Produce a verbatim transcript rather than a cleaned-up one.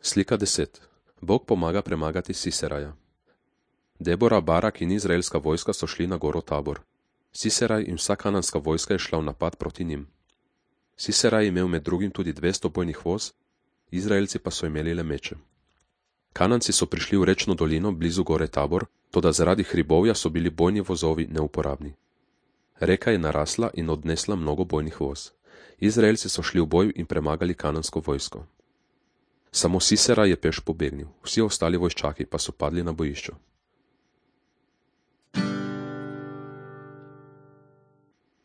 Slika deset. Bog pomaga premagati Siseraja. Debora, Barak in izraelska vojska so šli na goro Tabor. Siseraj in vsa kananska vojska je šla v napad proti njim. Siseraj je imel med drugim tudi dvesto bojnih voz, Izraelci pa so imeli le meče. Kananci so prišli v rečno dolino blizu gore Tabor, toda zaradi hribovja so bili bojni vozovi neuporabni. Reka je narasla in odnesla mnogo bojnih voz. Izraelci so šli v boj in premagali kanansko vojsko. Samo Sisera je peš pobegnil, vsi ostali vojščaki pa so padli na bojišču.